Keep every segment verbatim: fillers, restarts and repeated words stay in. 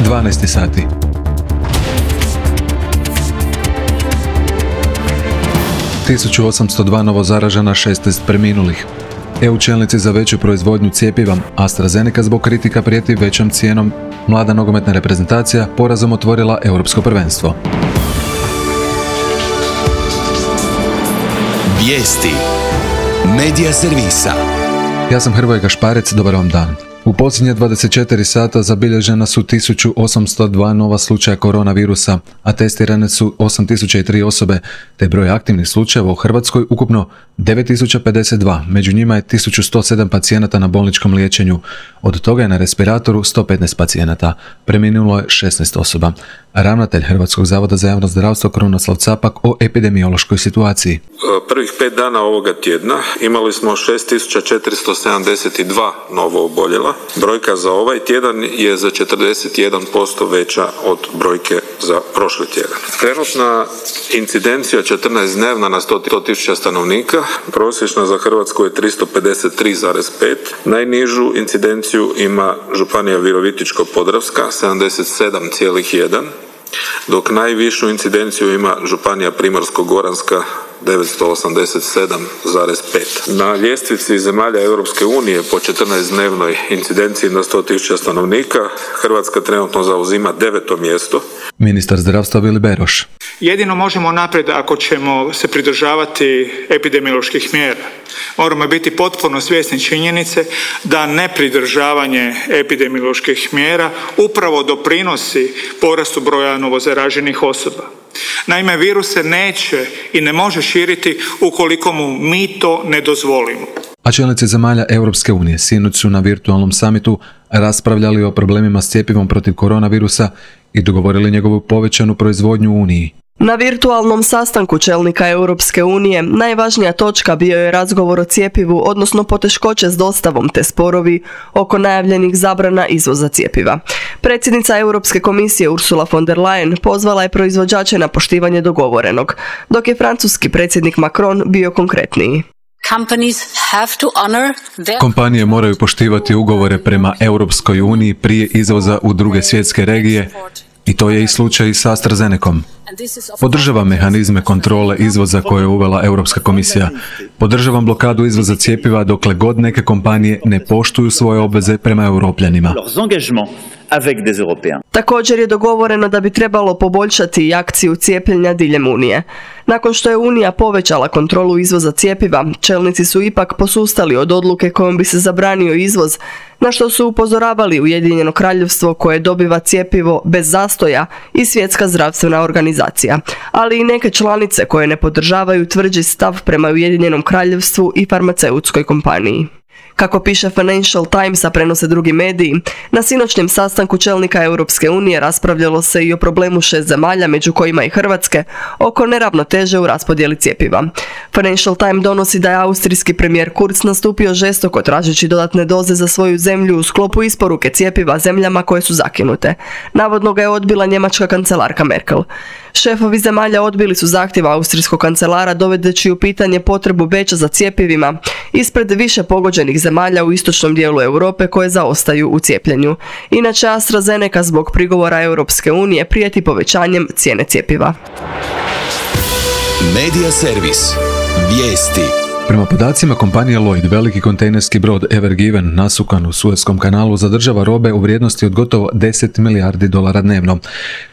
dvanaest sati. tisuću osamsto dva novo zaražena, šesnaest preminulih. E U čelnici za veću proizvodnju cjepiva. AstraZeneca zbog kritika prijeti većom cijenom. Mlada nogometna reprezentacija porazom otvorila europsko prvenstvo. Vijesti Medija servisa. Ja sam Hrvoje Gašparec, dobar vam dan. U posljednje dvadeset četiri sata zabilježena su tisuću osamsto dva nova slučaja koronavirusa, a testirane su osam tisuća tri osobe, te broj aktivnih slučajeva u Hrvatskoj ukupno devet tisuća pedeset dva, među njima je tisuću sto sedam pacijenata na bolničkom liječenju. Od toga je na respiratoru sto petnaest pacijenata, preminulo je šesnaest osoba. Ravnatelj Hrvatskog zavoda za javno zdravstvo Krunoslav Capak o epidemiološkoj situaciji. Prvih pet dana ovoga tjedna imali smo šest tisuća četiristo sedamdeset dva novo oboljela. Brojka za ovaj tjedan je za četrdeset jedan posto veća od brojke za prošli tjedan. Trenutna incidencija četrnaest dnevna na sto tisuća stanovnika, prosječna za Hrvatsku je tristo pedeset tri zarez pet. Najnižu incidenciju ima županija Virovitičko-podravska, sedamdeset sedam zarez jedan, dok najvišu incidenciju ima županija Primorsko-goranska, devetsto osamdeset sedam zarez pet. Na ljestvici zemalja Europske unije po četrnaestdnevnoj incidenciji na sto tisuća stanovnika Hrvatska trenutno zauzima deveto mjesto. Ministar zdravstva Vili Beroš. Jedino možemo naprijed ako ćemo se pridržavati epidemioloških mjera. Moramo biti potpuno svjesni činjenice da nepridržavanje epidemioloških mjera upravo doprinosi porastu broja novozaraženih osoba. Naime, virus se neće i ne može širiti ukoliko mu mi to ne dozvolimo. A čelnici zemalja Europske unije sinoć su na virtualnom samitu raspravljali o problemima s cjepivom protiv koronavirusa i dogovorili njegovu povećanu proizvodnju u Uniji. Na virtualnom sastanku čelnika Europske unije najvažnija točka bio je razgovor o cjepivu, odnosno poteškoće s dostavom te sporovi oko najavljenih zabrana izvoza cjepiva. Predsjednica Europske komisije Ursula von der Leyen pozvala je proizvođače na poštivanje dogovorenog, dok je francuski predsjednik Macron bio konkretniji. Kompanije moraju poštivati ugovore prema Europskoj uniji prije izvoza u druge svjetske regije, i to je i slučaj i s AstraZenecom. Podržavam mehanizme kontrole izvoza koje je uvela Europska komisija. Podržavam blokadu izvoza cjepiva dokle god neke kompanije ne poštuju svoje obveze prema Europljanima. Također je dogovoreno da bi trebalo poboljšati i akciju cijepljenja diljem Unije. Nakon što je Unija povećala kontrolu izvoza cjepiva, čelnici su ipak posustali od odluke kojom bi se zabranio izvoz, na što su upozoravali Ujedinjeno Kraljevstvo koje dobiva cjepivo bez zastoja i Svjetska zdravstvena organizacija, ali i neke članice koje ne podržavaju tvrđi stav prema Ujedinjenom Kraljevstvu i farmaceutskoj kompaniji. Kako piše Financial Times, a prenose drugi mediji, na sinoćnjem sastanku čelnika Europske unije raspravljalo se i o problemu šest zemalja, među kojima i Hrvatske, oko neravnoteže u raspodjeli cjepiva. Financial Times donosi da je austrijski premijer Kurz nastupio žestoko tražeći dodatne doze za svoju zemlju u sklopu isporuke cjepiva zemljama koje su zakinute. Navodno ga je odbila njemačka kancelarka Merkel. Šefovi zemalja odbili su zahtjev austrijskog kancelara dovedeći u pitanje potrebu Beča za cjepivima ispred više pogođenih zemalja u istočnom dijelu Europe koje zaostaju u cijepljenju. Inače, AstraZeneca zbog prigovora Europske unije prijeti povećanjem cijene cjepiva. Medija servis. Vijesti. Prema podacima kompanije Lloyd, veliki kontejnerski brod Ever Given nasukan u Suezkom kanalu zadržava robe u vrijednosti od gotovo deset milijardi dolara dnevno.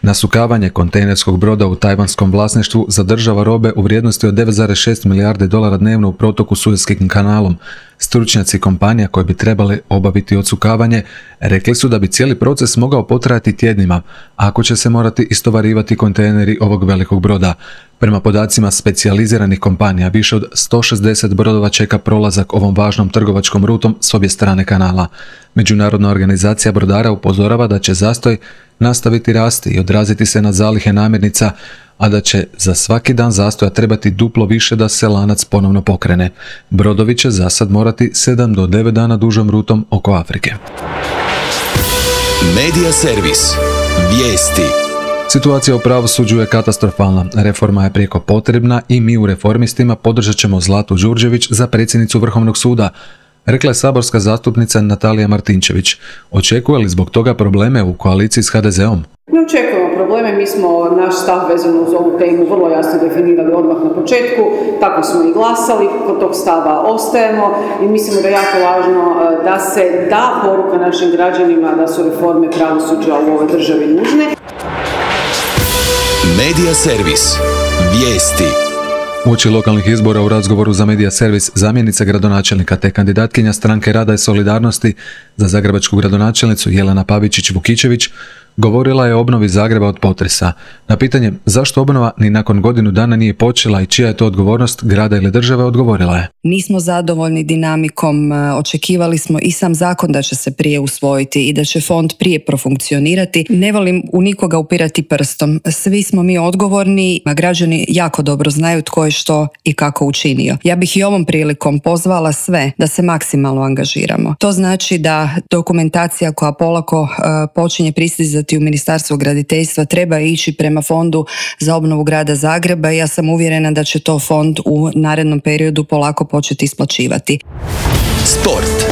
Nasukavanje kontejnerskog broda u tajvanskom vlasništvu zadržava robe u vrijednosti od devet zarez šest milijardi dolara dnevno u protoku Suezkim kanalom. Stručnjaci kompanija koji bi trebali obaviti odsukavanje rekli su da bi cijeli proces mogao potrajati tjednima, ako će se morati istovarivati kontejneri ovog velikog broda. Prema podacima specijaliziranih kompanija, više od sto šezdeset brodova čeka prolazak ovom važnom trgovačkom rutom s obje strane kanala. Međunarodna organizacija brodara upozorava da će zastoj nastaviti rasti i odraziti se na zalihe namirnica, a da će za svaki dan zastoja trebati duplo više da se lanac ponovno pokrene. Brodovi će za sad morati sedam do devet dana dužom rutom oko Afrike. Medija servis. Vijesti. Situacija u pravosuđu je katastrofalna. Reforma je prijeko potrebna i mi u Reformistima podržat ćemo Zlatu Đurđević za predsjednicu Vrhovnog suda. rekla je saborska zastupnica Natalija Martinčević. Očekuje li zbog toga probleme u koaliciji s ha de zeom? Ne očekujemo probleme, mi smo naš stav vezano uz ovu temu vrlo jasno definirali odmah na početku, tako smo i glasali, kod tog stava ostajemo i mislimo da je jako važno da se da poruka našim građanima da su reforme pravosuđa u ovoj državi nužne. Medija servis. Vijesti. Uoči lokalnih izbora u razgovoru za Medija servis zamjenica gradonačelnika te kandidatkinja Stranke rada i solidarnosti za zagrebačku gradonačelnicu Jelena Pavičić-Vukičević govorila je o obnovi Zagreba od potresa. Na pitanje zašto obnova ni nakon godinu dana nije počela i čija je to odgovornost grada ili države, odgovorila je: nismo zadovoljni dinamikom, očekivali smo i sam zakon da će se prije usvojiti i da će fond prije profunkcionirati. Ne volim u nikoga upirati prstom. Svi smo mi odgovorni, a građani jako dobro znaju tko je što i kako učinio. Ja bih i ovom prilikom pozvala sve da se maksimalno angažiramo. To znači da dokumentacija koja polako uh, počinje pristizati u Ministarstvo graditeljstva treba ići prema Fondu za obnovu grada Zagreba i ja sam uvjerena da će to fond u narednom periodu polako početi isplaćivati. Sport.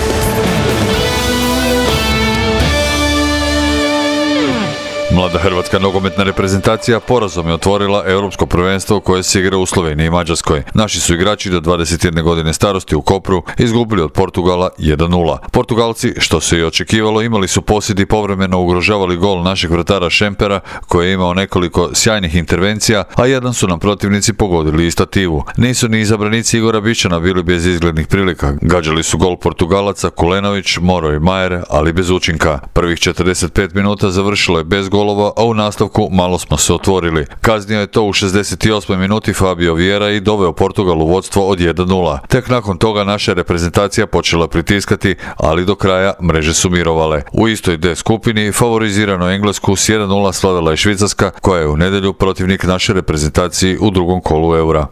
Mlada hrvatska nogometna reprezentacija porazom je otvorila europsko prvenstvo koje se igra u Sloveniji i Mađarskoj. Naši su igrači do dvadeset jedne godine starosti u Kopru izgubili od Portugala jedan nula. Portugalci, što se i očekivalo, imali su posjed i povremeno ugrožavali gol našeg vratara Šempera, koji je imao nekoliko sjajnih intervencija, a jedan su nam protivnici pogodili i stativu. Nisu ni izabranici Igora Bićana bili bez izglednih prilika. Gađali su gol Portugalaca Kulenović, Moro i Majer, ali bez učinka. Prvih četrdeset pet minuta završilo je bez golova, a u nastavku malo smo se otvorili. Kaznio je to u šezdeset osmoj minuti Fabio Vieira i doveo Portugal u vodstvo od jedan nula. Tek nakon toga naša reprezentacija počela pritiskati, ali do kraja mreže su mirovale. U istoj D skupini favorizirano Englesku s jedan nula slavila je Švicarska, koja je u nedjelju protivnik naše reprezentaciji u drugom kolu Eura.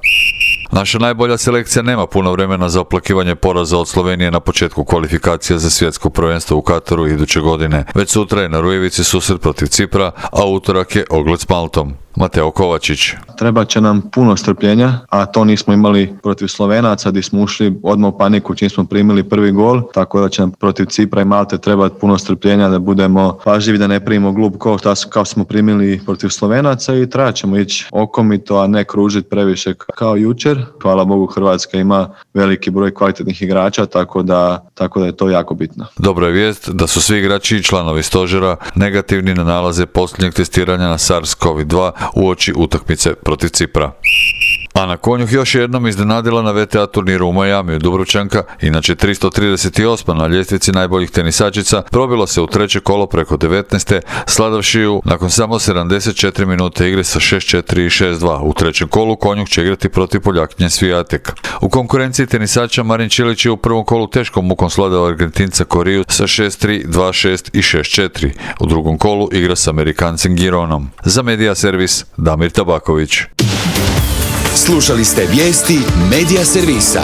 Naša najbolja selekcija nema puno vremena za oplakivanje poraza od Slovenije na početku kvalifikacija za svjetsko prvenstvo u Kataru iduće godine. Već sutra je na Rujevici susret protiv Cipra, a utorak je ogled s Maltom. Mateo Kovačić. Treba će nam puno strpljenja, a to nismo imali protiv Slovenaca gdje smo ušli odmah u paniku čim smo primili prvi gol, tako da će nam protiv Cipra i Malte trebati puno strpljenja da budemo pažljivi, da ne primimo glup gol kao smo primili protiv Slovenaca i treba ćemo ići okomito, a ne kružiti previše kao jučer. Hvala Bogu, Hrvatska ima veliki broj kvalitetnih igrača, tako da, tako da je to jako bitno. Dobra je vijest da su svi igrači i članovi stožera negativni na nalaze posljednjeg testiranja na SARS-CoV dva uoči utakmice protiv Cipra. Ana Konjuh još jednom iznenadila na ve te a turniru u Majamiju. Dubrovčanka, inače tristo trideset osma na ljestvici najboljih tenisačica, probila se u treće kolo preko devetnaeste, sladavši ju nakon samo sedamdeset četiri minute igre sa šest četiri i šest dva. U trećem kolu Konjuh će igrati protiv Poljakinje Svijatek. U konkurenciji tenisača Marin Čilić je u prvom kolu teškom mukom sladao Argentinca Koriju sa šest tri, dva šest i šest četiri. U drugom kolu igra s Amerikancem Gironom. Za Medija servis Damir Tabaković. Slušali ste vijesti Medija servisa.